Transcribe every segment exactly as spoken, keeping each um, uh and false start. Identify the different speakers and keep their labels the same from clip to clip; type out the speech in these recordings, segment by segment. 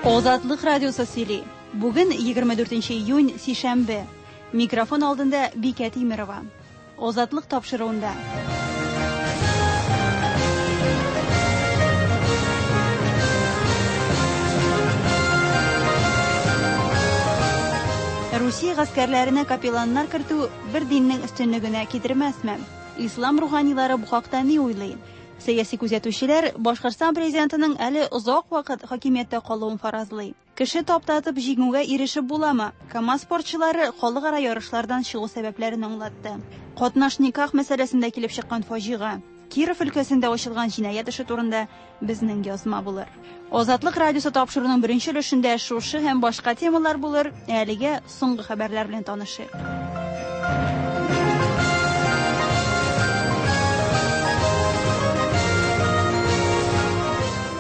Speaker 1: Азатлык радиосы сөйли. Бүген егерме дүртенче июнь, сишәмбе. Микрофон алдында Бикә Тимерова. Азатлык тапшыруында. Русия гаскәрләренә капелланнар кертү бер диннең өстенлегенә китермәсме? Ислам руханилары бу хакта ни уйлый? Сәяси күзәтүчеләр Башкортстан президентының әле озак вакыт хакимияттә калуын фаразлый. Кеше таптатып җиңүгә ирешеп буламы? КАМАЗ спортчылары халыкара ярышлардан чыгу сәбәпләрен аңлатты. Катнаш никах мәсьәләсендә килеп чыккан фаҗига. Киров өлкәсендә ачылган җинаять эше турында безнең язма булыр. Азатлык радиосы тапшыруның беренче өлешендә шушы һәм башка темалар булыр. Әлегә соңгы хәбәрләр белән танышыйк.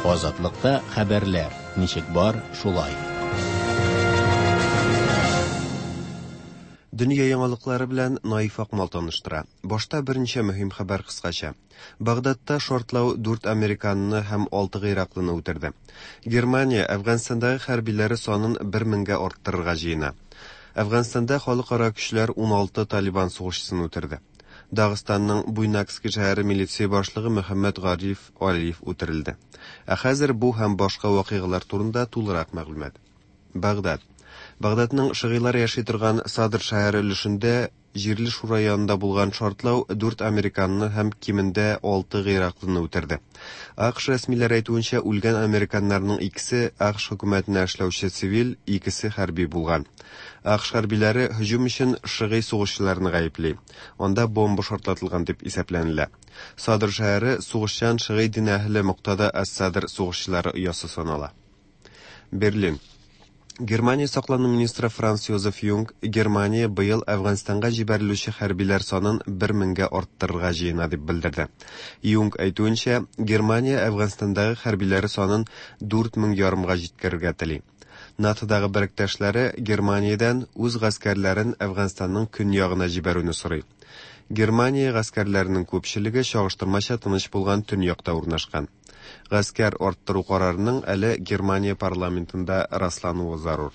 Speaker 2: Азатлыкта хәбәрләр ничек бар, шулай.
Speaker 3: Дөнья яңалыклары белән Наиф Акмал таныштыра. Башта берничә мөһим хәбәр кыскача. Багдадта шартлау дүрт американны һәм алты гыйраклыны үтерде. Германия Әфганстандагы хәрбиләре санын бер меңгә арттырырга җыена. Әфганстанда халыкара көчләр ун алты Талибан сугышчысын үтерде. Дагыстанның Буйнакский шәһәре милиция башлыгы Мөхәммәд Гариф Алиев үтерелде. Ә хәзер бу һәм башка вакыйгалар турында тулырак мәгълүмат. Багдад. Багдадның шигыйлар яши торган Садр шәһәре өлешендә җирле шура янында булган шартлау дүрт американны һәм кимендә алты гыйраклыны үтерде. АКШ рәсмиләре әйтүенчә, үлгән американнарның икесе АКШ хөкүмәтенә эшләүче цивил, икесе хәрби булган. АКШ хәрбиләре һөҗүм өчен шигый сугышчыларны гаепли. Анда бомба шартлатылган дип исәпләнелә. Садр шәһәре сугышчан шигый дин әһеле Муктада ас-Садр сугышчылары оясы санала. Берлин. Германия саклану министры Франц Йозеф Юнг Германия быел Әфганстанга җибәрелүче хәрбиләр санын бер меңгә арттырырга җыена дип белдерде. Юнг әйтүенчә, Германия Әфганстандагы хәрбиләре санын дүрт мең ярымга җиткерергә тели. НАТОдагы беректәшләре Германиядән үз гаскәрләрен Әфганстанның көньягына җибәрүне сорый. Германия гаскәрләренең күпчелеге чагыштырмача тыныч булган төньякта урнашкан. Гаскәр арттыру карарының әле Германия парламентында раслануы зарур.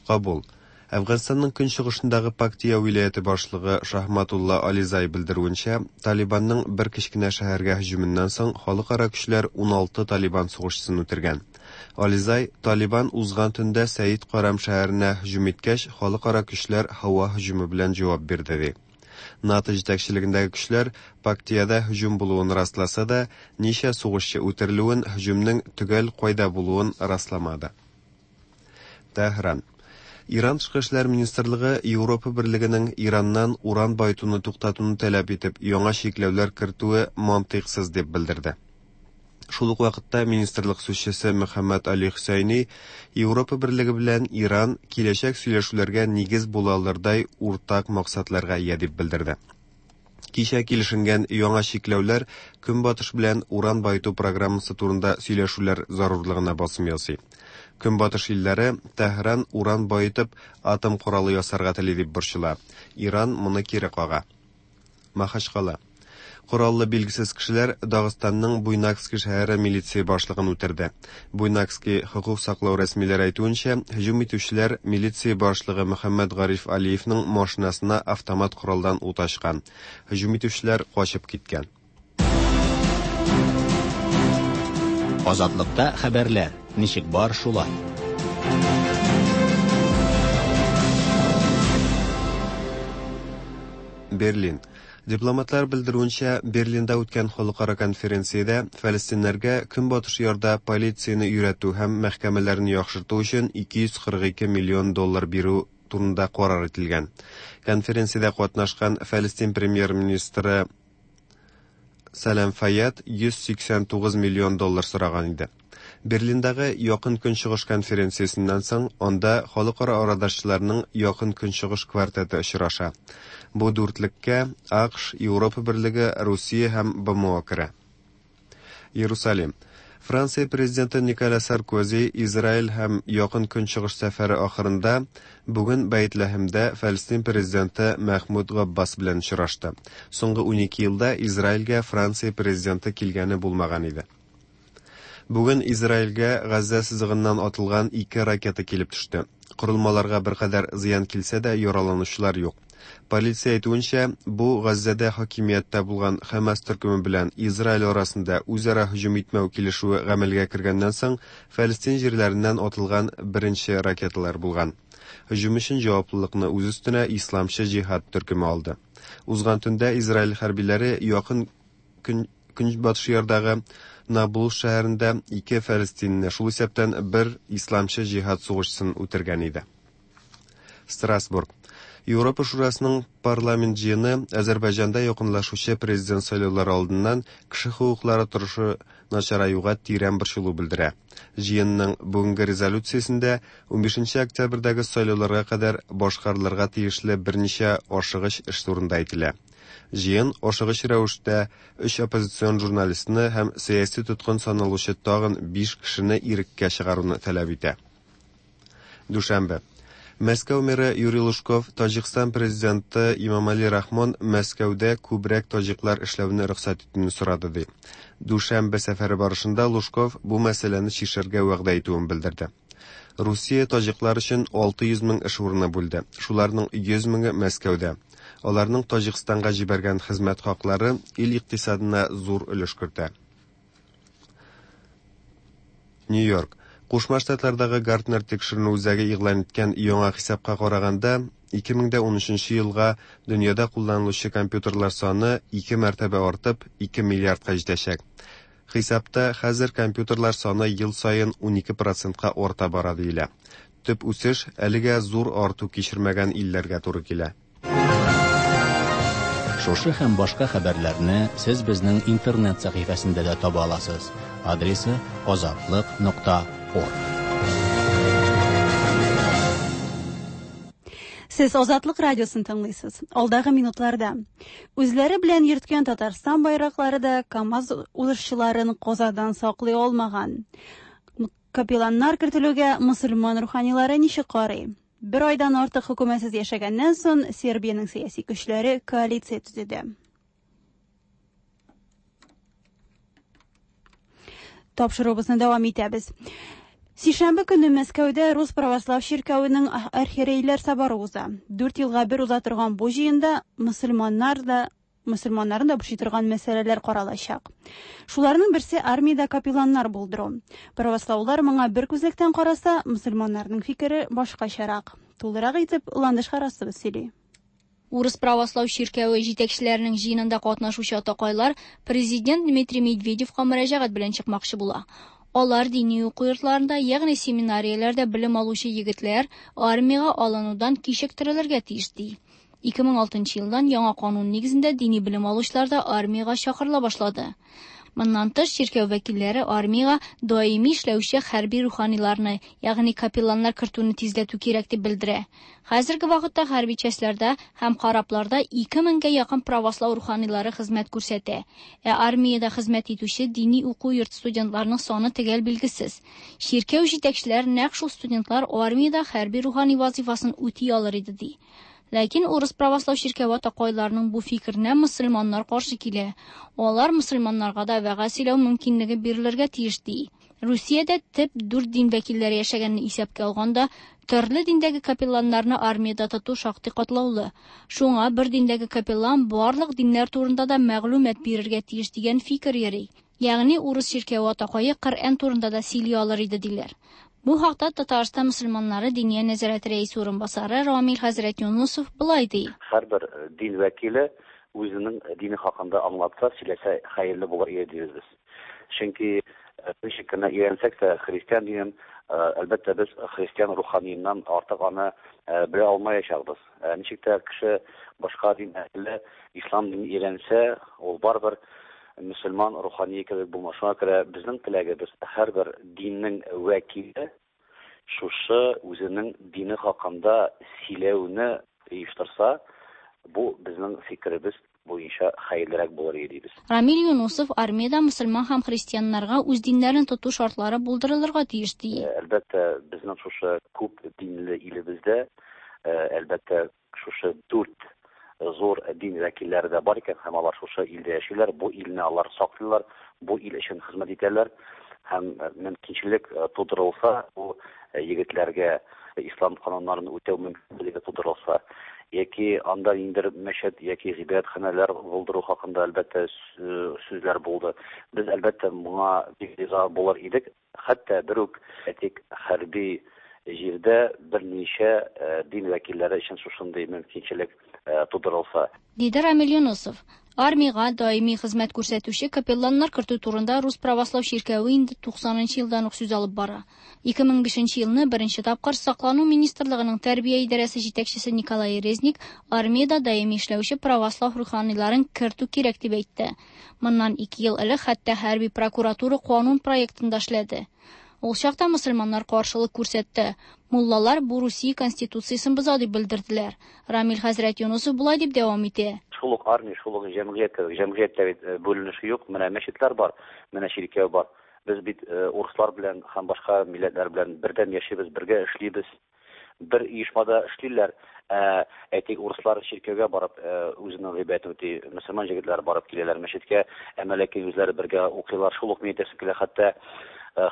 Speaker 3: Кабул. Әфганстанның көнчыгышындагы Пактия вилаяте башлыгы Шахматулла Ализай белдерүенчә, Талибанның бер кечкенә шәһәргә һөҗүменнән соң халыкара көчләр ун алты Талибан сугышчысын үтергән. Ализай, Талибан узган төндә Сәид Карам шәһәренә һөҗүм иткәч, халыкара көчләр һава һөҗүме белән җавап бирде, ди. НАТО җитәкчелегендәге көчләр Пактияда һөҗүм булуын расласа да, ничә сугышчы үтерелүен, һөҗүмнең төгәл кайда булуын расламады. Тәһран. Иран тышкы эшләр министрлыгы Европа берлегенең Ираннан уран баетуны туктатуны таләп итеп, яңа чикләүләр кертүе мантыйксыз дип белдерде. Шул ук вакытта министрлык сүзчесе Мөхәммәд Али Хөсәйни Европа берлеге белән Иран киләчәк сөйләшүләргә нигез була алырдай уртак максатларга ия дип белдерде. Кичә килешенгән яңа чикләүләр Көнбатыш белән уран баету программасы турында сөйләшүләр зарурлыгына басым ясый. Көнбатыш илләре Тәһран уран баетып атом коралы ясарга тели дип борчыла. Иран моны кире кага. Махачкала. Кораллы билгесез кешеләр Дагыстанның Буйнакский шәһәре милиция башлыгын үтерде. Буйнакский хокук саклау рәсмиләре әйтүенчә, һөҗүм итүчеләр милиция башлыгы Мөхәммәд Гариф Алиевның машинасына автомат коралдан ут ачкан. Һөҗүм итүчеләр качып киткән.
Speaker 2: Азатлыкта хәбәрләр ничек бар, шулай.
Speaker 3: Берлин. Дипломатлар белдерүенчә, Берлинда үткән халыкара конференциядә фәлестиннәргә Көнбатыш ярда полицияне өйрәтү һәм мәхкәмәләрне яхшырту өчен ике йөз кырык ике миллион доллар бирү турында карар ителгән. Конференциядә катнашкан Фәлестин премьер-министры Сәлам Файяд йөз сиксән тугыз миллион доллар сораган иде. Берлиндагы Якын Көнчыгыш конференциясеннән соң анда халыкара арадашчыларның Якын Көнчыгыш квартеты очраша. Бу дүртлеккә АКШ, Европа берлеге, Русия һәм БМО керә. Иерусалим. Франция президенты Николя Саркози Израиль һәм Якын Көнчыгыш сәфәре ахырында бүген Бәйтләһемдә Фәлестин президенты Мәхмүд Габбас белән очрашты. Соңгы унике елда Израильгә Франция президенты килгәне булмаган иде. Бүген Израильгә Газзә сызыгыннан атылган ике ракета килеп төште. Корылмаларга беркадәр зыян килсә дә, яраланучылар юк. Полиция әйтүенчә, бу Газзәдә хакимияттә булган Хәмас төркеме белән Израиль арасында үзара һөҗүм итмәү килешүе гамәлгә кергәннән соң Фәлестин җирләреннән атылган беренче ракеталар булган. Һөҗүм өчен җаваплылыкны үз өстенә Исламчы җиһад төркеме алды. Узган төндә Израиль хәрбиләре якын көн көнбатыш ярдагы Наблус шәһәрендә ике фәлестинне, шул исәптән бер исламчы җиһад сугышчысын үтергән иде. Страсбург. Европа Шурасының парламент җыены Азәрбайҗанда якынлашучы президент сайлаулары алдыннан кеше хокуклары торышы начараюга тирән борчылу белдерә. Җыенның бүгенге резолюциясендә унбишенче октябрьдәге сайлауларга кадәр башкарылырга тиешле берничә ашыгыч эш турында әйтелә. Җыен ашыгыч рәвештә өч оппозицион журналистны һәм сәяси тоткын саналучы тагын биш кешене иреккә чыгаруны таләп итә. Дүшәмбе. Мәскәү мэры Юрий Лужков Таҗикстан президенты Имамали Рахмон Мәскәүдә күбрәк таҗиклар эшләүне рөхсәт итүне сорады ди. Дүшәмбе сәфәре барышында Лужков бу мәсьәләне чишәргә вәгъдә итүен белдерде. Русия таҗиклар өчен алты йөз мең эш урыны бүлде. Шуларның йөз меңе Мәскәүдә. Аларның Таҗикстанга җибәргән хезмәт хаклары ил икътисадына зур өлеш кертә. Нью-Йорк. Кушма Штатлардагы Гартнер тикшеренү үзәге игълан иткән яңа хисапка караганда, ике мең дә унөченче елга дөньяда кулланылучы компьютерлар саны ике мәртәбә артып, ике миллиардка җитәчәк. Хисапта хәзер компьютерлар саны ел саен унике процентка арта бара диелә. Төп үсеш әлегә зур арту кичермәгән илләргә туры килә.
Speaker 2: Шушы һәм башка хәбәрләрне сез безнең интернет сәхифәсендә дә таба аласыз. Адресы азатлык нокта орг.
Speaker 1: Сез Азатлык радиосын тыңлыйсыз. Алдагы минутларда үзләре белән йөрткән Татарстан байраклары да КАМАЗ узышчыларын казадан саклый алмаган. Капелланнар кертелүгә мөселман руханилары ничек карый? Бер айдан артык хөкүмәтсез яшәгәннән соң Сербиянең сәяси көчләре коалиция төзеде. Тапшыруыбызны дәвам итәбез. Сишәмбе көне Мәскәүдә Рус православ чиркәвенең архиерейләр соборы уза. Дүрт елга бер уза торган бу җыенда мөселманнар да мөселманнарны да борчый торган мәсьәләләр каралачак. Шуларның берсе армиядә капелланнар булдыру. Правослаулар моңа бер күзлектән караса, мөселманнарның фикере башкачарак. Тулырак итеп Ландыш Харасова сөйли.
Speaker 4: Урыс православ чиркәве җитәкчеләренең җыенында катнашучы атакайлар президент Дмитрий Медведевка мөрәҗәгать белән чыкмакчы була. Алар дини уку йортларында, ягъни семинарияләрдә белем алучы егетләр армиягә алынудан кичектерелергә тиеш ди. Ике мең алтынчы елдан яңа канун нигезендә дини белем алучылар да армиягә чакырыла башлады. Моннан тыш чиркәү вәкилләре армиягә даими эшләүче хәрби руханиларны, ягъни капелланнар кертүне тизләтү кирәк дип белдерә. Хәзерге вакытта хәрби частьләрдә һәм карапларда ике меңгә якын православ руханилары хезмәт күрсәтә. Ә армиядә хезмәт итүче дини уку йорты студентларының саны төгәл билгесез. Чиркәү җитәкчеләре нәкъ шул студентлар армиядә хәрби рухани вазифасын үти алыр иде ди. Ләкин урыс православ чиркәве атакайларының бу фикеренә мөселманнар каршы килә. Алар мөселманнарга да вәгазь сөйләү мөмкинлеге бирелергә тиеш ди. Русиядә төп дүрт дин вәкилләре яшәгәнне исәпкә алганда, төрле диндәге капелланнарны армиядә тоту шактый катлаулы. Шуңа бер диндәге капеллан барлык диннәр турында да мәгълүмат бирергә тиеш дигән фикер йөри. Ягъни урыс чиркәве атакае Коръән турында да сөйли алыр иде диләр. Бу хакта Татарстан мөселманнары Диния нәзарәте рәисе урынбасары Рамил хәзрәт Юнусов былай ди.
Speaker 5: Һәрбер дин вәкиле үзенең дине хакында аңлатса, сөйләсә хәерле булыр иде дибез без. Чөнки ничек кенә өйрәнсәк тә христиан динен, әлбәттә, без христиан руханиеннән артык аны белә алмаячакбыз. Ничек тә кеше башка дин әһеле ислам динен өйрәнсә, ул барыбер мөселман рухание кебек булмас. Шуңа күрә безнең теләгебез һәрбер диннең вәкиле шушы үзенең дине хакында сөйләүне оештырса, бу безнең фикеребез буенча хәерлерәк булыр иде дибез.
Speaker 4: Рамил Юнусов армиядә мөселман һәм христианнарга үз диннәрен тоту шартлары булдырылырга тиеш ди.
Speaker 5: Әлбәттә, безнең шушы күп динле илебездә, әлбәттә, шушы дүрт зур дин вәкилләре дә бар икән, һәм алар шушы илдә яшиләр, бу илне алар саклыйлар, бу ил өчен хезмәт итәләр. Һәм мөмкинчелек тудырылса, бу егетләргә ислам кануннарын үтәү мөмкинлеге тудырылса, яки анда ниндидер мәчет яки гыйбадәтханәләр булдыру хакында әлбәттә сүзләр булды. Без әлбәттә моңа бик риза булыр идек. Хәтта бер үк әйтик хәрби җирдә берничә дин вәкилләре өчен шушындый мөмкинчелек тудырылса.
Speaker 4: Диде Рамил Юнусов. Армиягә даими хезмәт күрсәтүче капелланнар кертү турында Рус православ чиркәве инде туксанынчы елдан ук сүз алып бара. ике мең бишенче елны беренче тапкыр Саклану министрлыгының тәрбия идарәсе җитәкчесе Николай Резник армиядә даими эшләүче православ руханиларын кертү кирәк дип әйтте. Моннан ике ел элек хәтта хәрби прокуратура канун проектын да эшләде. Ул чакта мөселманнар каршылык күрсәтте. Муллалар бу Русия конституциясен боза дип белдерделәр. Рамил хәзрәт Юнусов болай дип дәвам итә.
Speaker 5: Шул ук армия, шул ук җәмгыять кебек. Җәмгыятьтә бит бүленеше юк. Менә мәчетләр бар, менә чиркәү бар. Без бит урыслар белән һәм башка милләтләр белән бердәм яшибез, бергә эшлибез. Бер оешмада эшлиләр. Әйтик, урыслар чиркәүгә барып үзенең гыйбадәтен үти, мөселман җегетләре барып киләләр мәчеткә, әмма ләкин үзләре бергә укыйлар. Шул ук мин әйтәсем килә, хәтта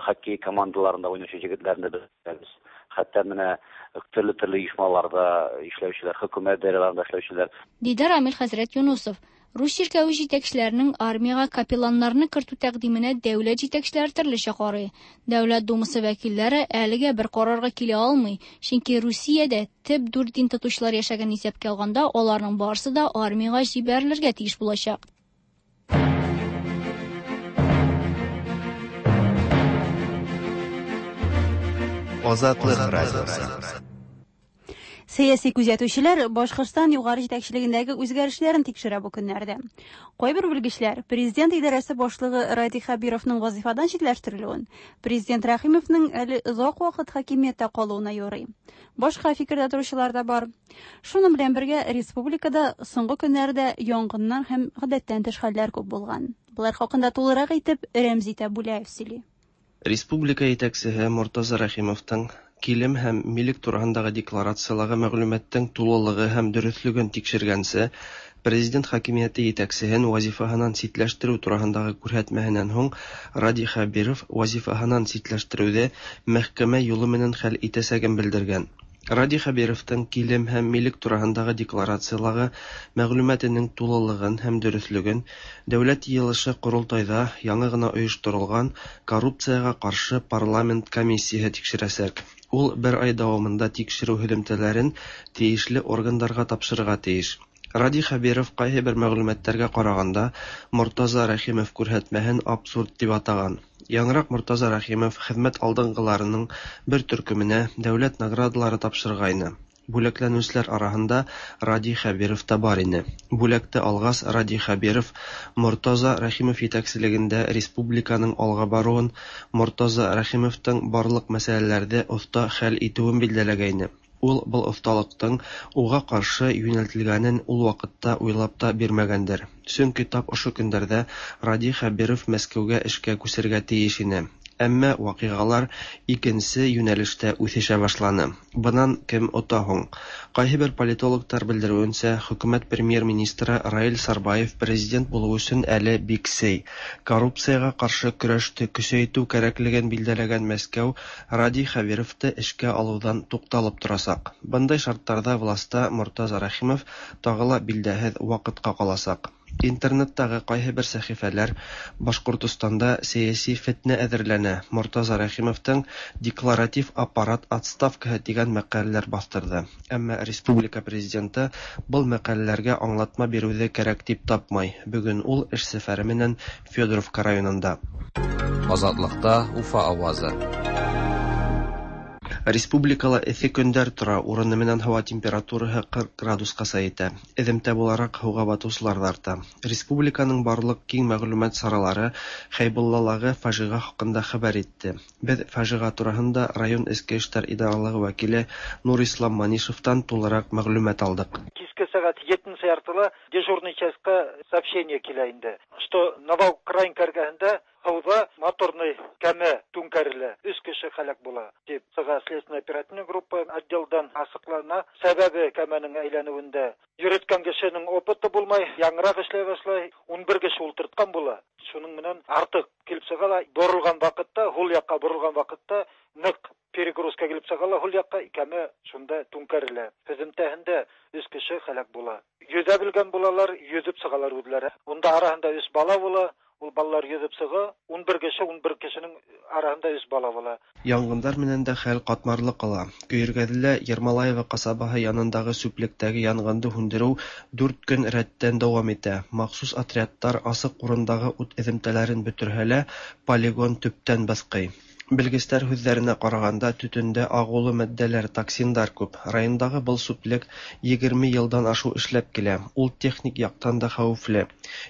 Speaker 5: хоккей командаларында уйнаучы җегетләрне без беләбез. Хәтта менә төрле-төрле оешмаларда эшләүчеләр, хөкүмәт даирәләрендә эшләүчеләр.
Speaker 4: Диде Рамил хәзрәт Юнусов. Рус чиркәве җитәкчеләренең армиягә капелланнарны кертү тәкъдименә дәүләт җитәкчеләре төрлечә карый. Дәүләт думасы вәкилләре әлегә бер карарга килә алмый, чөнки Русиядә төп дүрт дин тотучылар яшәгән исәпкә алганда, аларның барысы да армиягә җибәрелергә тиеш булачак.
Speaker 3: Азатлык радиосы.
Speaker 1: Сәяси күзәтүчеләр Башкортстан югары җитәкчелегендәге үзгәрешләрен тикшерә бу көннәрдә. Кайбер белгечләр президент идарәсе башлыгы Радий Хәбировның вазифадан читләштерелүен, президент Рәхимовның әле озак вакыт хакимияттә калуына юрый. Башка фикердә торучылар да бар. Шуның белән бергә республикада соңгы көннәрдә янгыннар һәм гадәттән тыш хәлләр күп булган. Болар хакында тулырак итеп Рәмзи Тәбүләев сөйли.
Speaker 6: Республика җитәкчесе Мортаза Рәхимовтың килем һәм милек турындагы декларацияләге мәгълүматтың тулылыгы һәм дөреслеген тикшергәнсе, президент хакимияте җитәкчесен вазифаһынан читләштерү турындагы күрһәтмәһеннән һуң Радий Хәбиров вазифаһынан читләштерүҙе мәхкәмә юлы менән хәл итәсәген белдергән. Радий Хәбировтың килем һәм милек турындагы декларацияләге мәгълүматының тулылыгын һәм дөреслеген Дәүләт йыйылышы Ҡоролтайҙа яңы ғына ойошторолған коррупцияға ҡаршы парламент комиссияһы тикшерәсәк. Ул бер ай дауамында тикшереү һөҙөмтәләрен тейешле органдарға тапшырырға тейеш. Радий Хәбиров ҡайһы бер мәғлүмәттәргә ҡарағанда Мортаза Рәхимов күрһәтмәһен абсурд тип атаған. Яңыраҡ Мортаза Рәхимов хеҙмәт алдынғыларының бер төркөмөнә дәүләт наградалары тапшырғайны. Бүләкләнеүселәр араһында Радий Хәбиров та бар ине. Бүләкте алғас Радий Хәбиров Мортаза Рәхимов етәкселегендә республиканың алға барыуын, Мортаза Рәхимовтың барлыҡ мәсьәләләрҙе оҫта хәл итеүен билдәләгәйне. Ул был оҫталыҡтың уға ҡаршы йүнәлтелгәнен ул ваҡытта уйлап та бирмәгәндер. Сөнки тап ошо көндәрҙә Радий Хәбиров Мәскәүгә эшкә күсергә тейеш ине. Әммә ваҡиғалар икенсе йүнәлештә үҫешә башланы. Бынан кем ота һуң? Ҡайһы бер политологтар белдереүенсә, хөкүмәт премьер-министры Раил Сарбаев президент булыу өсөн әле бик сей. Коррупцияға ҡаршы көрәште көсәйтеү кәрәклеген билдәләгән Мәскәү Радий Хәбировты эшкә алыуҙан туҡталып торасаҡ. Бындай шарттарҙа власта Мортаза Рәхимов тағы ла билдәһеҙ ваҡытҡа ҡаласаҡ. Интернеттағы ҡайһы бер сәхифәләр Башҡортостанда сәйәси фетнә әҙерләнә, Мортаза Рәхимовтың декларатив аппарат отставкаһы тигән мәҡәләләр баҫтырҙы. Әммә республика президенты был мәҡәләләргә аңлатма биреүҙе кәрәк тип тапмай. Бөгөн ул эш сәфәре менән Федоровка районында.
Speaker 7: Азатлыҡта Уфа ауазы.
Speaker 6: Республикала эҫе көндәр тора, урыны менән һауа температураһы ҡырҡ градусҡаса етә. Эҙемтә булараҡ һыуға батыусылар ҙа арта. Республиканың барлыҡ киң мәғлүмәт саралары Хәйбуллалағы фажиға хаҡында хәбәр итте. Беҙ фажиға тураһында район эске эштәр идаралығы вәкиле Нурислам Манишевтан тулыраҡ мәғлүмәт алдыҡ.
Speaker 8: Киске сәғәт ете Беренче яртыла дежурный частька сообщение килә инде, что Новоукраинка эргәһендә һыуҙа моторный кәмә түңкәрелә, өс кеше һәләк була дип сыға следственная оперативная группа отделдан асыҡлана. Сәбәбе кәмәнең әйләнеүендә йөрөткән кешенең опыты булмай, яңыраҡ эшләй башлай, ун бер кеше ултыртҡан була. Шуның менән артыҡ килеп сыға ла, боролған ваҡытта, һул яҡҡа боролған ваҡытта ныҡ перегрузка килеп сыға ла, һул яҡҡа кәмә шунда түңкәрелә. Һөҙөмтәһендә өс кеше һәләк була. Йөҙә белгән булалар, йөҙөп сығалар үҙләре. Унда араһында өс бала була. Ул балалар йөҙөп сыға, ун бер кеше, ун бер кешенең араһында өс бала була.
Speaker 6: Янгындар менән дә хәл ҡатмарлы ҡала. Көйөргәҙелә Ермолаева ҡасабаһы янындағы сүплектәге янғынды һүндереү дүрт көн рәттән дауам итә. Махсус отрядтар асыҡ урындағы ут эҙемтәләрен бөтөрһә лә, полигон төптән баҫҡый. Белгестәр һүҙҙәренә ҡарағанда, төтөндә ағыулы матдәләр, токсиндар күп. Райондағы был сүплек егерме йылдан ашыу эшләп килә. Ул техник яҡтан да хәүефле.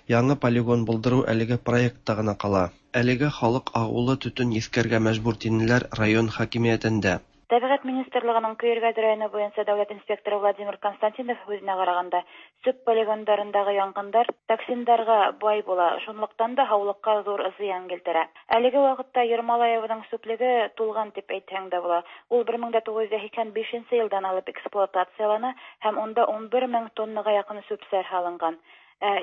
Speaker 6: Яңы полигон булдырыу әлеге проектта ғына ҡала. Әлегә халыҡ ағыулы төтөн еҫкәргә мәжбүр, тинеләр район хакимиәтендә.
Speaker 9: Тәбиғәт министрлығының Көйөргәҙе районы буйынса дәүләт инспекторы Владимир Константинов һүҙенә ҡарағанда, сүп полигондарындағы янғындар токсиндарға бай була, шунлыҡтан да һаулыҡҡа ҙур зыян килтерә. Әлеге ваҡытта Ермолаеваның сүплеге тулған тип әйтһәң дә була. Ул бер мең дә туғыҙ йөҙ һикһән бишенсе йылдан алып эксплуатациялана һәм унда ун бер мең тоннаға яҡын сүп-сар һалынған.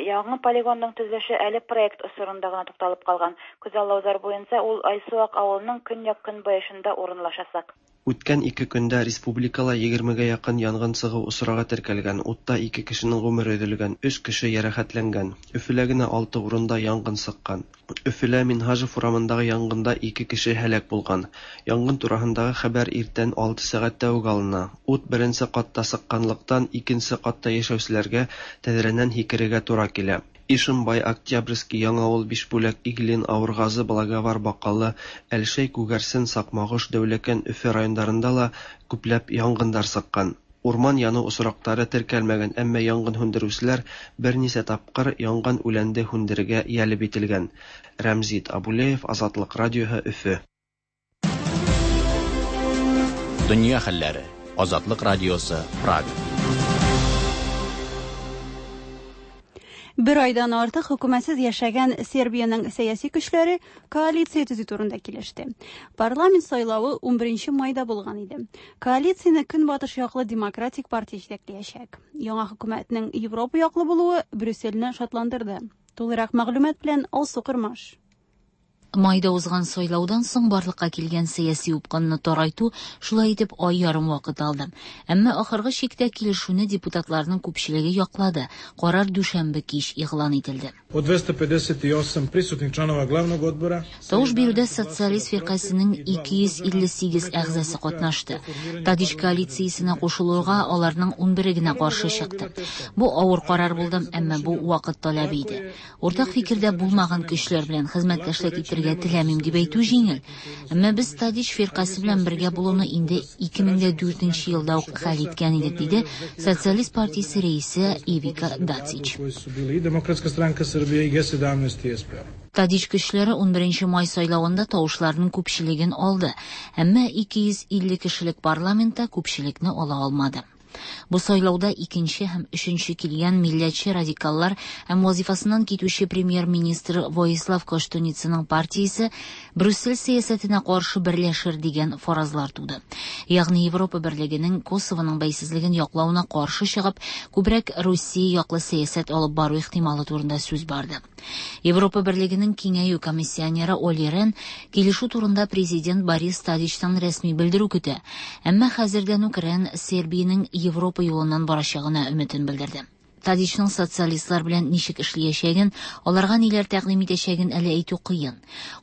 Speaker 9: Яңы полигондың төҙөлөшө әле проект осоронда ғына туҡталып ҡалған. Күҙаллауҙар буйынса ул Айсыуаҡ ауылының көньяҡ-көнбайышында урынлашасаҡ.
Speaker 6: Үткән ике көндә республикала егермегә яҡын янғын сығыу осрағы теркәлгән. Утта ике кешенең ғүмере өҙөлгән, өс кеше йәрәхәтләнгән. Өфөлә генә алты урында янғын сыҡҡан. Өфөлә Минһажев урамындағы янғында ике кеше һәләк булған. Янғын тураһындағы хәбәр иртән алты сәғәттә үк алына. Ут беренсе ҡатта сыҡҡанлыҡтан икенсе ҡатта йәшәүселәргә тәҙрәнән һикерергә тура килә. Ишембай, Октябрьский, Яңауыл, Бишбүләк, Иглин, Ауырғазы, Благовар, Баҡалы, Әлшәй, Күгәрсен, Саҡмағош, Дәүләкән, Өфө райондарында ла күпләп янғындар сыҡҡан. Урман яныу осраҡтары теркәлмәгән, әммә янғын һүндереүселәр бер нисә тапҡыр янған үләнде һүндерергә йәлеп ителгән. Рәмзит Абулеев, Азатлыҡ радиоһы, Өфө.
Speaker 2: Донъя хәлләре. Азатлыҡ радиосы, Прага.
Speaker 1: Бер айдан артык хөкүмәтсез яшәгән Сербиянең сәяси көчләре коалиция төзү турында килеште. Парламент сайлавы ун беренче майда булган иде. Коалицияне Көнбатыш яклы Демократик партия җитәкләячәк. Яңа хөкүмәтнең Европа яклы булуы Брюссельне шатландырды. Тулырак мәгълүмат белән Алсу Кырмаш.
Speaker 10: Майда узган сайлаудан соң барлыкка килгән сәяси упкынны тарайту шулай итеп ай ярым вакыт алды. Әмма ахыргы чиктә килешүне депутатларның күпчелеге яклады. Карар дүшәмбе кич игълан ителде.
Speaker 11: От двести пятьдесят восемь присутных членов главного отбора
Speaker 10: Тавыш бирүдә социалист фиркасының ике йөз илле сигез әгъзасы катнашты. Тадич коалициясенә кушылуга аларның ун бере генә каршы чыкты. Бу авыр карар булды, әмма бу вакыт таләбе иде. Уртак фикердә булмаган көчләр белән хезмәттәшлек итәргә теләмим дип әйтү җиңел. Әмма без Тадич фиркасы белән бергә булуны инде ике мең дә дүртенче елда ук хәл иткән идек, диде Социалист партиясе рәисе Ивика Дацич. Тадич көчләре ун беренче май сайлавында тавышларның күпчелеген алды, әмма ике йөз илле кешелек парламентта күпчелекне ала алмады. Бу сайлауда икенче һәм өченче килгән милләтче радикаллар һәм вазифасыннан китүче премьер-министр Воислав Коштуницаның партиясе Брюссель сәясәтенә каршы берләшер дигән фаразлар туды. Ягъни Европа берлегенең Косовоның бәйсезлеген яклауына каршы чыгып, күбрәк Русия яклы сәясәт алып бару ихтималы турында сүз барды. Европа берлегенең киңәю комиссионеры Оли Рен килешү турында президент Борис Тадичтан рәсми белдерү көтә. Әмма хәзердән үк Рен Сербиянең Европа юлыннан барачагына өметен белдерде. Тадичның социалистлар белән ничек эшләячәген, аларга ниләр тәкъдим итәчәген әле әйтү кыен.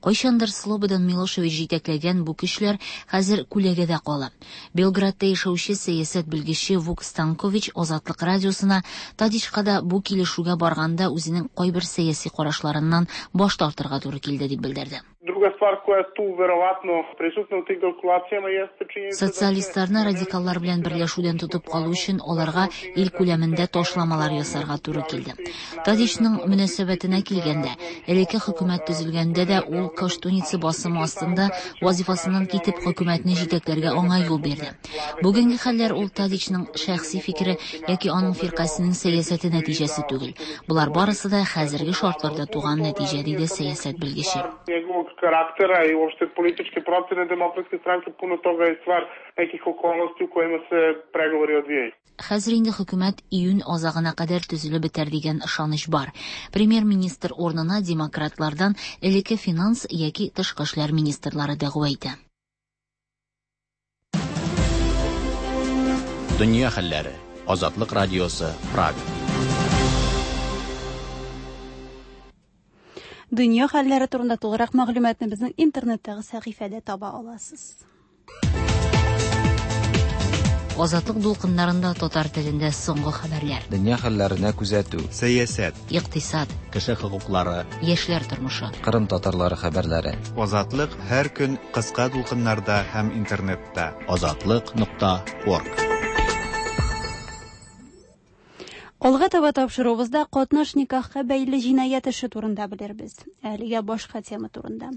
Speaker 10: Кайчандыр Слободан Милошевич җитәкләгән бу көчләр хәзер күләгәдә кала. Белградта яшәүче сәясәт белгече Вук Станкович Азатлык радиосына Тадичка да бу килешүгә барганда үзенең кайбер сәяси карашларыннан баш тартырга туры килде дип белдерде.
Speaker 12: Druga stvar koja je tu verovatno prisutna u tim kalkulacijama jeste činjenica.
Speaker 10: Социалистларны радикаллар белән берләшүдән тотып калу өчен аларга ил күләмендә ташламалар ясарга туры килде. Тадичның мөнәсәбәтенә килгәндә, элекке хөкүмәт төзелгәндә дә ул Коштуница басымы астында вазифасыннан китеп хөкүмәтне җитәкләргә аңа юл бирде. Бүгенге хәлләр ул Тадичның шәхси фикере яки аның фиркасының сәясәте нәтиҗәсе түгел. Болар барысы да хәзерге шартларда туган нәтиҗә, диде сәясәт белгече.
Speaker 12: Karaktera i uopšte političke procene Demokratske stranke, puno toga je stvar nekih okolnosti u kojima se pregovori odvijaju.
Speaker 10: Хәзер инде хөкүмәт июнь азагына кадәр төзелеп бетәр дигән ышаныч бар. Премьер-министр урынына демократлардан элекке финанс яки тышкы эшләр министрлары дәгъва итә.
Speaker 2: Дөнья хәлләре. Азатлык радиосы, Прага.
Speaker 1: Дөнья хәлләре турында тулырак мәгълүматны безнең интернеттагы сәхифәдә таба аласыз.
Speaker 10: Азатлык дулкыннарында татар телендә соңгы хәбәрләр.
Speaker 7: Дөнья хәлләренә күзәтү.
Speaker 3: Сәясәт,
Speaker 10: икътисад,
Speaker 2: кеше хокуклары,
Speaker 10: яшьләр тормышы,
Speaker 7: Кырым татарлары хәбәрләре.
Speaker 13: Азатлык һәр көн кыска дулкыннарда һәм интернетта.
Speaker 2: Азатлык нокта орг.
Speaker 1: Алга таба тапшыруыбызда катнаш никахка бәйле җинаять эше турында белербез. Әлегә башка тема турында.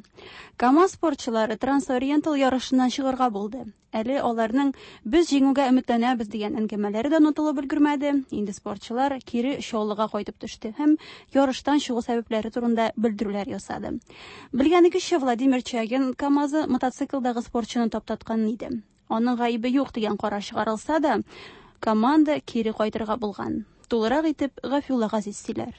Speaker 1: КАМАЗ спортчылары Трансориентал ярышыннан чыгарга булды. Әле аларның без җиңүгә өметләнәбез дигән әңгәмәләре дә онытылып өлгермәде. Инде спортчылар кире Чаллыга кайтып төште һәм ярыштан чыгу сәбәпләре турында белдерүләр ясады. Белгәнегезчә, Владимир Чагин КАМАЗы мотоциклдагы спортчыны таптаткан иде. Аның гаебе юк дигән карар чыгарылса да, команда кире кайтырга булган. Тулырак итеп Гафулла Газиз сөйләр.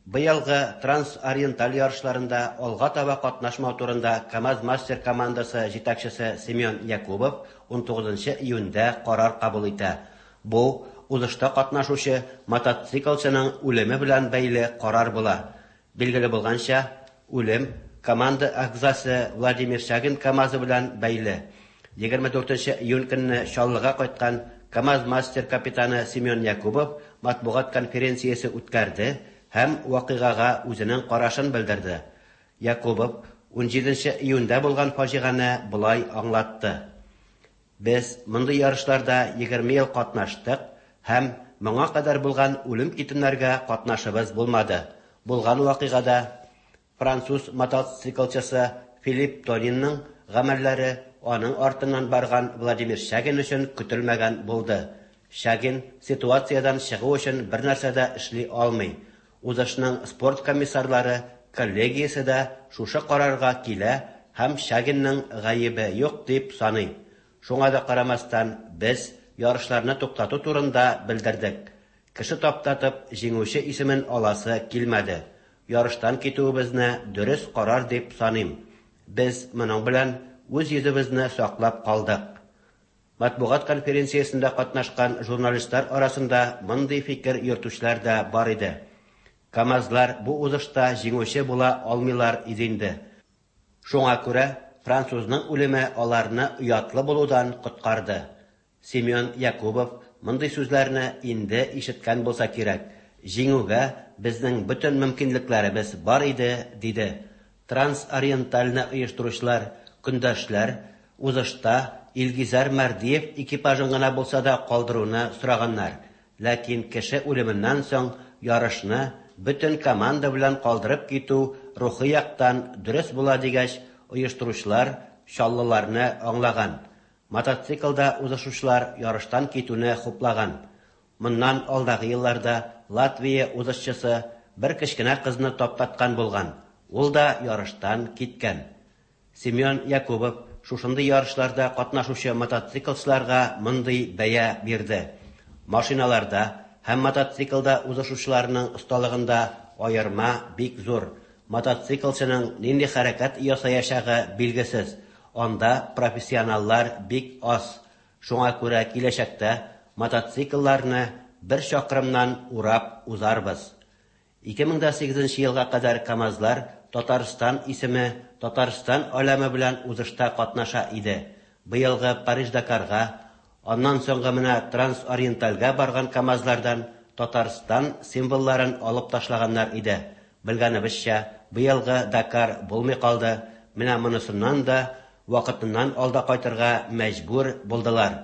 Speaker 14: Быелгы Трансориенталь ярышларында алга таба катнашмау турында КАМАЗ-мастер командасы җитәкчесе Семен Якубов ун тугызынчы июньдә карар кабул итә. Бу узышта катнашучы мотоциклчының үлеме белән бәйле карар була. Билгеле булганча, үлем команда әгъзасы Владимир Чагин КАМАЗы белән бәйле. егерме дүртенче июнь көнне Чаллыга кайткан КАМАЗ-мастер капитаны Семен Якубов матбугат конференциясе үткәрде һәм вакыйгага үзенең карашын белдерде. Якубов ун җиденче июньдә булган фаҗигане болай аңлатты. Без мондый ярышларда егерме ел катнаштык һәм моңа кадәр булган үлем-китемнәргә катнашыбыз булмады. Булган вакыйгада француз мотоциклчысы Филипп Тонинның гамәлләре аның артыннан барган Владимир Чагин өчен көтелмәгән булды. Чагин ситуациядән чыгу өчен бер нәрсә дә эшли алмый. Узышның спорт комиссарлары коллегиясе дә шушы карарга килә һәм Чагинның гаебе юк дип саный. Шуңа да карамастан без ярышларны туктату турында белдердек. Кеше таптатып җиңүче исемен аласы килмәде. Ярыштан китүебезне дөрес карар дип саныйм. Без моның белән үз йөзебезне саклап калдык. Матбугат конференциясендә катнашкан журналистлар арасында мондый фикер йөртүчеләр дә бар иде. КАМАЗлар бу узышта җиңүче була алмыйлар иде инде. Шуңа күрә французның үлеме аларны оятлы булудан коткарды. Семен Якубов мондый сүзләрне инде ишеткән булса кирәк. Җиңүгә безнең бөтен мөмкинлекләребез бар иде, диде. Трансориентальны оештыручылар, көндәшләр узышта Илгизәр Мәрдиев экипажын гына булса да калдыруны сораганнар. Ләкин кеше үлеменнән соң ярышны бөтен команда белән калдырып китү рухи яктан дөрес була дигәч, оештыручылар чаллыларны аңлаган. Мотоциклда узышучылар ярыштан китүне хуплаган. Моннан алдагы елларда Латвия узышчысы бер кечкенә кызны таптаткан булган. Ул да ярыштан киткән. Семен Якубов шушындый ярышларда катнашучы мотоциклчыларга мондый бәя бирде. Машиналарда һәм мотоциклда узышучыларның осталыгында аерма бик зур. Мотоциклчының нинди хәрәкәт ясаячагы билгесез. Анда профессионаллар бик аз. Шуңа күрә киләчәктә мотоциклларны бер чакрымнан урап узарбыз. ике мең дә сигезенче елга кадәр КАМАЗлар Татарстан исеме Татарстан аләме белән узышта катнаша иде. Быелгы Париж-Дакарга, аннан соңгы менә Трансориентальгә барган КАМАЗлардан Татарстан символларын алып ташлаганнар иде. Белгәнебезчә, быелгы Дакар булмый калды. Менә монысыннан да вакытыннан алда кайтырга мәҗбүр булдылар.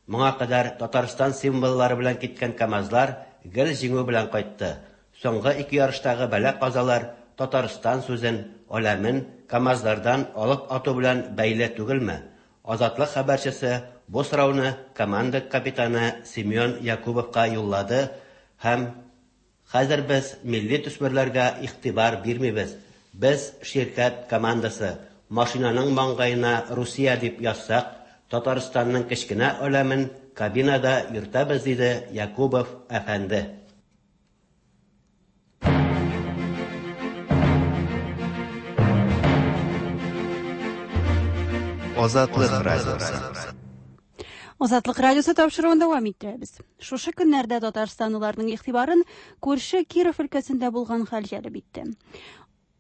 Speaker 14: Моңа кадәр Татарстан символлары белән киткән КАМАЗлар гел җиңү белән кайтты. Соңгы ике ярыштагы бәла-казалар Татарстан сүзен, аләмен КАМАЗлардан алып ату белән бәйле түгелме? Азатлык хәбәрчесе бу сорауны команда капитаны Семен Якубовка юллады һәм хәзер без милли төсмерләргә игътибар бирмибез. Без ширкәт командасы. Машинаның маңгаена Русия дип язсак, Татарстанның кечкенә аләмен кабинада йөртәбез, диде Якубов әфәнде.
Speaker 13: Азатлык радиосы.
Speaker 1: Азатлык радиосы тапшыруын дәвам иттерәбез. Шушы көннәрдә татарстанлыларның игътибарын күрше Киров өлкәсендә булган хәл җәлеп итте.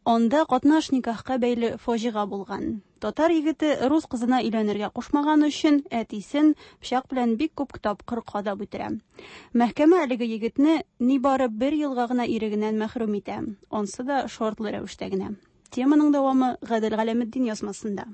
Speaker 1: Анда катнаш никахка бәйле фаҗига булган. Татар егете рус кызына өйләнергә кушмаган өчен әтисен пычак белән бик күп тапкыр кадап үтерә. Мәхкәмә әлеге егетне нибары бер елга гына ирегеннән мәхрүм итә. Ансы да шартлы рәвештә генә. Теманың дәвамы Гадел Галәметдин язмасында.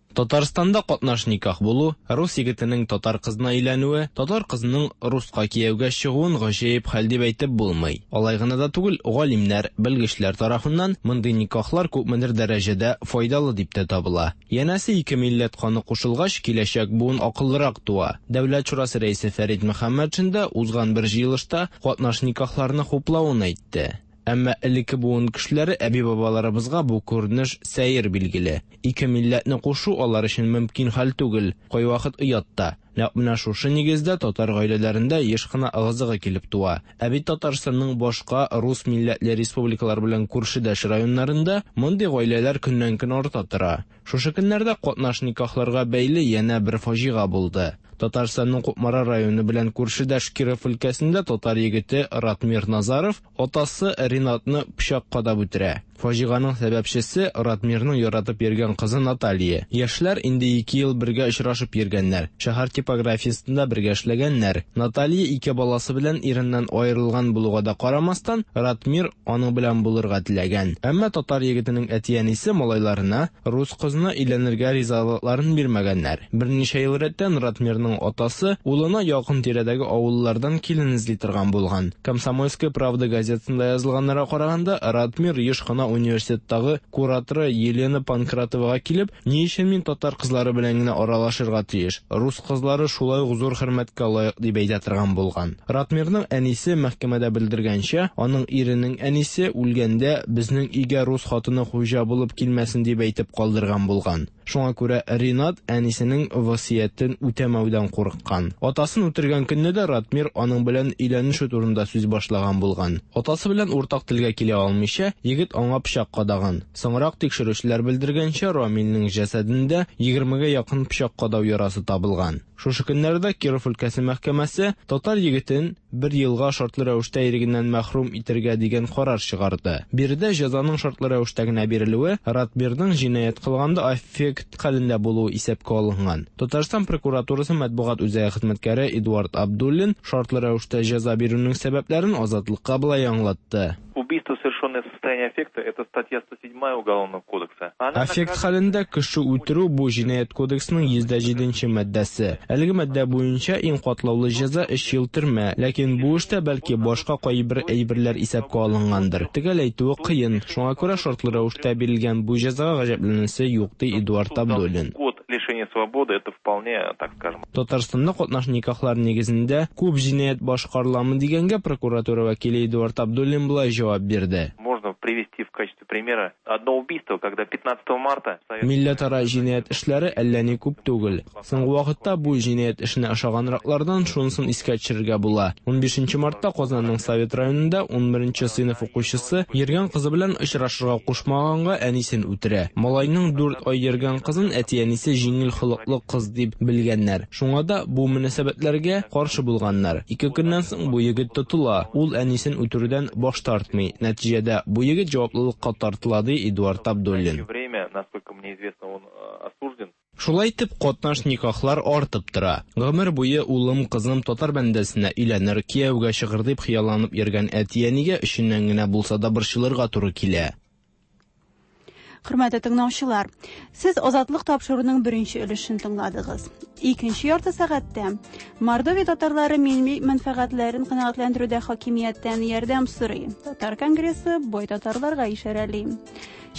Speaker 15: Татарстанда катнаш никах булу, рус егетенең татар кызына өйләнүе, татар кызының руска кияүгә чыгуын гаҗәеп хәл дип әйтеп булмый. Алай гына да түгел, галимнәр, белгечләр тарафыннан мондый никахлар күпмедер дәрәҗәдә файдалы дип тә табыла. Янәсе ике милләт каны кушылгач, киләчәк буын акыллырак туа. Дәүләт шурасы рәисе Фәрит Мөхәммәтшин дә узган бер җыелышта катнаш никахларны хуплавын әйтте. Әмма элекке буын кешеләре әби-бабаларыбызга бу күренеш сәер билгеле. Ике милләтне кушу алар өчен мөмкин хәл түгел, кайвакыт оят та. Нәкъ менә шушы нигездә татар гаиләләрендә еш кына ыгы-зыгы килеп туа. Ә бит Татарстанның башка рус милләтле республикалар белән күршедәш районнарында мондый гаиләләр көннән-көн арта тора. Шушы көннәрдә катнаш никахларга бәйле янә бер фаҗига булды. Татарстанның Кукмара районы белән күршедәш Киров өлкәсендә татар егете Ратмир Назаров атасы Ринатны пычак кадап үтерә. Фаҗиганың сәбәпчесе Ратмирның яратып йөргән кызы Наталья. Яшьләр инде ике ел бергә очрашып йөргәннәр. Шәһәр типографиясендә бергә эшләгәннәр. Наталья ике баласы белән иреннән аерылган булуга да карамастан, Ратмир аның белән булырга теләгән. Әмма татар егетенең әти-әнисе малайларына рус кызына өйләнергә ризалыкларын бирмәгәннәр. Берничә ел рәттән Ратмирның атасы улына якын тирәдәге авыллардан килен эзли торган булган. Комсомольская правда газетасында язылганнарга караганда, Ратмир еш кына университеттагы кураторы Елена Панкратовага килеп, ни өчен мин татар кызлары белән генә аралашырга тиеш? Рус кызлары шулай ук зур хөрмәткә лаек дип әйтә торган булган. Ратмирның әнисе мәхкәмәдә белдергәнчә, аның иренең әнисе үлгәндә безнең өйгә рус хатыны хуҗа булып килмәсен дип әйтеп калдырган булган. Шуңа күрә Ринат әнисенең васыятен үтәмәүдән курыккан. Атасын үтергән көнне дә Ратмир аның белән өйләнешү турында сүз башлаган булган. Атасы белән уртак телгә килә алмыйча, егет аңа пычак кадаган. Соңрак тикшерүчеләр белдергәнчә, Рамилнең җәсәдендә егермегә якын пычак кадау ярасы табылган. Шушы көннәрдә Киров өлкәсе мәхкәмәсе татар егетен бер елга шартлы рәвештә ирегеннән мәхрүм итергә дигән карар чыгарды. Биредә җәзаның шартлы рәвештә генә бирелүе Ратмирның җинаять кылганда аффект хәлендә булуы исәпкә алынган. Татарстан прокуратурасы матбугат үзәге хезмәткәре Эдуард Абдуллин шартлы рәвештә җәза бирүнең сәбәпләрен Азатлыкка болай аңлатты.
Speaker 16: Убийство, совершенное в состоянии аффекта, это статья сто седьмая Уголовного кодекса.
Speaker 15: Аффект хәлендә кеше үтерү бу җинаять кодексының йөз дә җиденче маддәсе. Әлеге маддә буенча иң катлаулы җәза өч ел төрмә, ләкин бу эштә бәлки башка кайбер әйберләр исәпкә алынгандыр. Төгәл әйтүе кыен, шуңа күрә шартлы рәвештә бирелгән бу җәзага гаҗәпләнәсе юк, ди Эдуард Абдуллин.
Speaker 16: Лишение свободы это вполне, так скажем.
Speaker 15: Татарстанда катнаш никахлар нигезендә күп җинаять башкарыламы дигәнгә прокуратура вәкиле Эдуард Абдуллин болай җавап бирде.
Speaker 16: Можно привести в качестве примера одно убийство, когда пятнадцатого марта
Speaker 15: Милләтара җинаять эшләре әллә ни күп түгел. Соңгы вакытта бу җинаять эшенә ошаганраклардан шунысын искә төшерергә була. Унбишенче мартта Казанның Совет районында унберенче сыйныф укучысы йөргән кызы белән очрашырга кушмаганга әнисен үтерә. Малайның дүрт ай йөргән кызын әти-әнисе җиңел холыклы кыз дип белгәннәр. Шуңа да бу мөнәсәбәтләргә каршы булганнар. Ике көннән соң бу егет тотыла. Ул әнисен үтерүдән баш тартмый. Нәтиҗәдә бу егет җаваплылыкка тартыла, ди Эдуард Абдуллин.
Speaker 16: Время, насколько мне известно, он осужден.
Speaker 15: Шулай итеп, катнаш никахлар артып тора. Гомер буе улым, кызым татар бәндәсенә өйләнер, кияүгә чыгыр дип хыялланып йөргән әти-әнигә өченнән генә булса да борчылырга туры килә.
Speaker 1: Хөрмәтле тыңлаучылар, сез Азатлык тапшыруының беренче өлешен тыңладыгыз. Икенче ярты сәгатьтә Мордовия татарлары милли мәнфәгатьләрен канәгатьләндерүдә хакимияттән ярдәм сорый. Татар конгрессы бай татарларга ишарәли.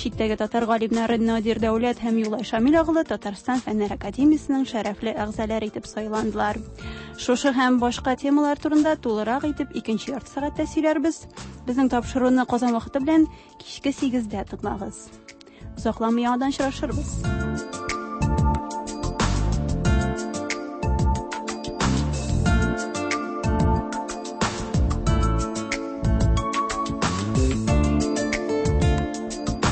Speaker 1: Читтәге татар галимнәре Надир Дәүләт һәм Юлай Шамил оглы Татарстан Фәннәр академиясенең шәрәфле әгъзалары итеп сайландылар. Шушы һәм башка темалар турында тулырак итеп икенче ярты сәгатьтә сөйләрбез. Безнең тапшыруны Казан вакыты белән кичке сигездә тыңлагыз. Озакламый яңадан очрашырбыз.